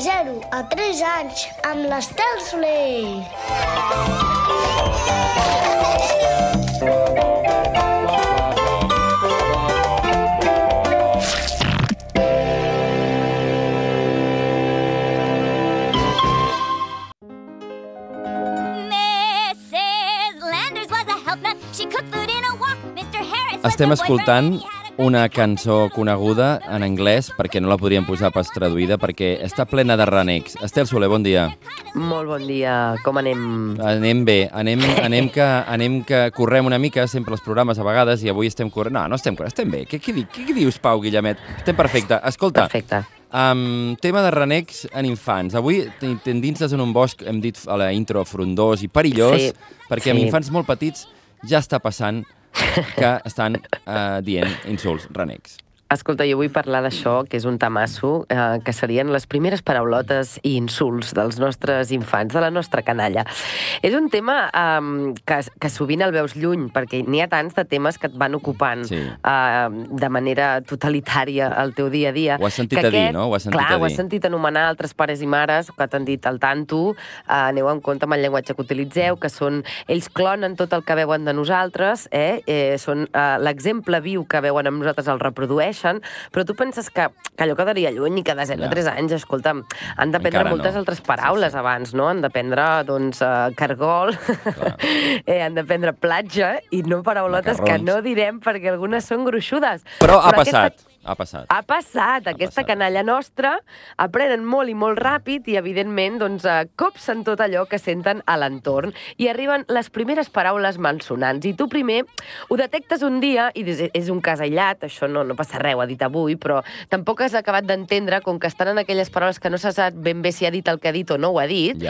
0 a 3 anys amb l'Estel Soler. Estem escoltant una cançó coneguda en anglès perquè no la podríem posar pas traduïda perquè està plena de renecs. Estel Soler, bon dia. Molt bon dia. Com anem? Anem bé. Anem que correm una mica sempre els programes a vegades i avui estem corrent. No estem corrent, estem bé. Què dius, Pau Guillemet? Estem perfecte. Escolta. Perfecte. Tema de renecs en infants. Avui t'endinses en un bosc, hem dit a la intro, frondós i perillós, perquè amb infants molt petits ja està passant que estan dient insults, renecs. Escolta, jo vull parlar d'això, que és un tamasso, que serien les primeres paraulotes i insults dels nostres infants, de la nostra canalla. És un tema que sovint el veus lluny, perquè n'hi ha tants de temes que et van ocupant de manera totalitària el teu dia a dia. Ho has sentit a dir, no? Ho has sentit anomenar altres pares i mares que t'han dit al tanto, aneu en compte amb el llenguatge que utilitzeu, que són, ells clonen tot el que veuen de nosaltres, són l'exemple viu que veuen amb nosaltres el reprodueixen, però tu penses que allò quedaria lluny i que de 0 a 3 anys, escolta'm, han d'aprendre moltes altres paraules abans, no? Han d'aprendre, doncs, cargol, han d'aprendre platja i no paraulotes que no direm perquè algunes són gruixudes. Però ha passat. Ha passat. Aquesta canalla nostra aprenen molt i molt ràpid i, evidentment, doncs, copsen tot allò que senten a l'entorn i arriben les primeres paraules malsonants. I tu primer ho detectes un dia i dius, és un cas aïllat, això no passa res, ho ha dit avui, però tampoc has acabat d'entendre, com que estan en aquelles paraules que no se sap ben bé si ha dit el que ha dit o no ho ha dit,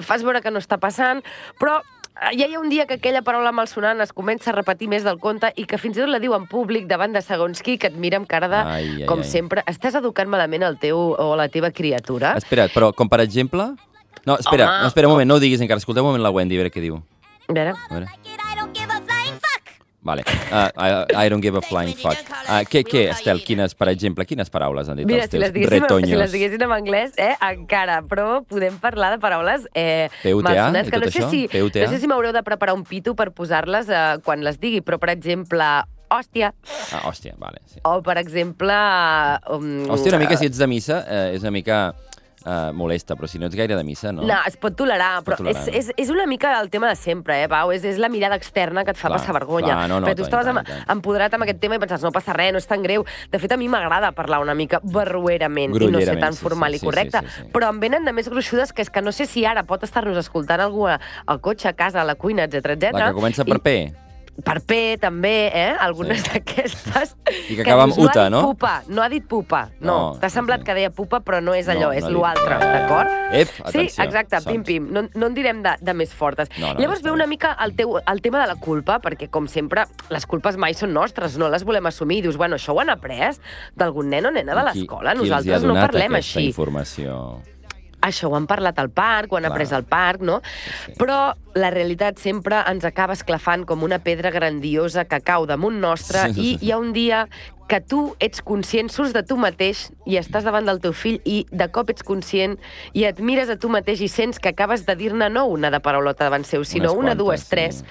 fas veure que no està passant, però ja hi ha un dia que aquella paraula malsonant es comença a repetir més del compte i que fins i tot la diu en públic davant de segons qui, que et mira amb cara de, com sempre, estàs educant malament el teu o la teva criatura. Espera't, però com per exemple... No, espera un moment, no ho diguis encara. Escolteu un moment la Wendy, a veure què diu. A veure. Vale. I don't give a flying fuck. Què, Estel? Per exemple, quines paraules han dit els teus retoños? Si les diguessin en anglès, encara, però podem parlar de paraules PUTA i tot això? No sé si m'haureu de preparar un pito per posar-les quan les digui, però, per exemple, hòstia. Hòstia, vale. Sí. O, per exemple... Hòstia, una mica, si ets de missa, és una mica... molesta, però si no ets gaire de missa, no? No, es pot tolerar, però és una mica el tema de sempre, Pau? És la mirada externa que et fa passar vergonya. Perquè tu estaves empoderat amb aquest tema i pensaves, no passa res, no és tan greu. De fet, a mi m'agrada parlar una mica barruerament i no ser tan formal i correcte. Però em venen de més gruixudes, que és que no sé si ara pot estar-nos escoltant algú al cotxe, a casa, a la cuina, etc. La que comença per P. Per P, també, algunes d'aquestes... I que acaba amb UTA, no? No ha dit pupa, no. T'ha semblat que deia pupa, però no és allò, és l'altre, d'acord? Atenció. Sí, exacte, pim-pim. No en direm de més fortes. Llavors ve una mica el tema de la culpa, perquè, com sempre, les culpes mai són nostres, no les volem assumir. Dius, bueno, això ho han après d'algun nen o nena de l'escola, nosaltres no parlem així. Qui els ha donat aquesta informació? Això ho han parlat al parc, ho han après al parc, no? Però la realitat sempre ens acaba esclafant com una pedra grandiosa que cau damunt nostre i hi ha un dia que tu ets conscient, surts de tu mateix i estàs davant del teu fill i de cop ets conscient i et mires a tu mateix i sents que acabes de dir-ne no una de paraulota davant seu, sinó una, dues, tres.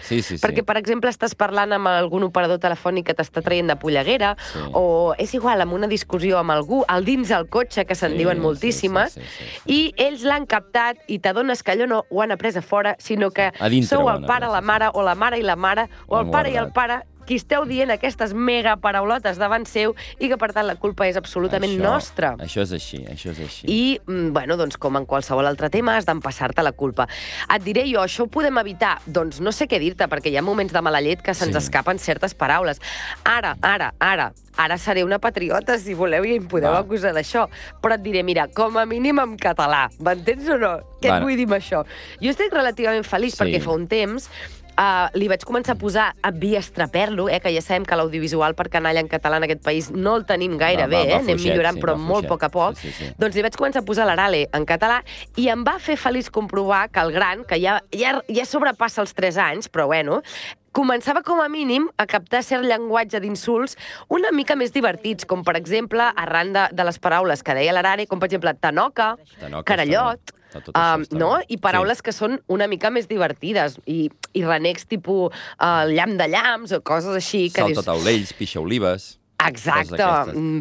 Perquè, per exemple, estàs parlant amb algun operador telefònic que t'està traient de polleguera o és igual, amb una discussió amb algú, al dins del cotxe, que se'n diuen moltíssimes, i ells l'han captat i t'adones que allò no ho han après a fora, sinó que sou el pare, la mare, o la mare i la mare, o el pare i el pare, qui esteu dient aquestes mega paraulotes davant seu i que, per tant, la culpa és absolutament nostra. Això és així, això és així. I, bueno, doncs, com en qualsevol altre tema, has d'empassar-te la culpa. Et diré jo, això ho podem evitar? Doncs no sé què dir-te, perquè hi ha moments de mala llet que se'ns escapen certes paraules. Ara seré una patriota, si voleu, i em podeu acusar d'això. Però et diré, mira, com a mínim en català. M'entens o no? Què et vull dir amb això? Jo estic relativament feliç perquè fa un temps li vaig començar a posar a Biestraperlo, que ja sabem que l'audiovisual per canalla en català en aquest país no el tenim gaire bé, anem millorant, però molt a poc a poc. Doncs li vaig començar a posar l'Arale en català i em va fer feliç comprovar que el gran, que ja sobrepassa els 3 anys, però bueno, començava com a mínim a captar cert llenguatge d'insults una mica més divertits, com per exemple, arran de les paraules que deia l'Arare, com per exemple tanoca, carallot, no? I paraules que són una mica més divertides, i renecs tipus llamp de llamps o coses així. Saltataulells, pixa-olives... Exacte,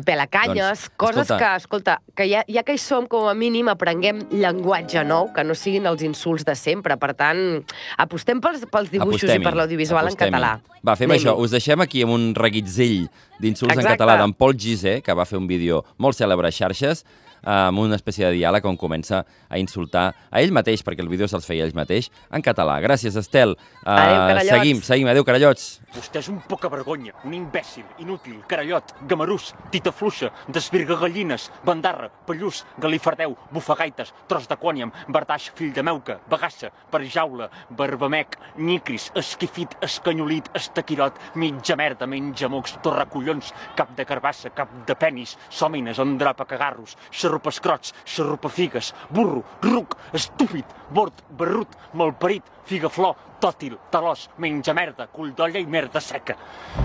pelacanyes, coses que, escolta, que ja que hi som, com a mínim aprenguem llenguatge nou, que no siguin els insults de sempre. Per tant, apostem pels dibuixos i per l'audiovisual en català. Va, fem això. Us deixem aquí amb un reguitzell d'insults en català d'en Pol Gizé, que va fer un vídeo molt cèlebre a xarxes, amb una espècie de diàleg on comença a insultar a ell mateix, perquè el vídeo se'ls feia ell mateix, en català. Gràcies, Estel. Adéu, carallots. Seguim. Adéu, carallots. Vostè és un poca vergonya, un imbècil, inútil, carallot, gamarús, tita fluixa, desvirga gallines, bandarra, pallús, galifardeu, bufagaites, tros de quòniam, bartaix, fill de meuca, bagassa, perjaula, barbamec, nyicris, esquifit, escanyolit, estaquirot, mitja merda, menja mocs, torracollons, cap de carbassa, cap de penis, sòmines, endrapa cagarros, xarrupescrots, xarrupafigues, burro, ruc, estúpid, bord, barrut, malparit, figaflor, tòtil, talòs, menja merda, cull d'olla i merda seca.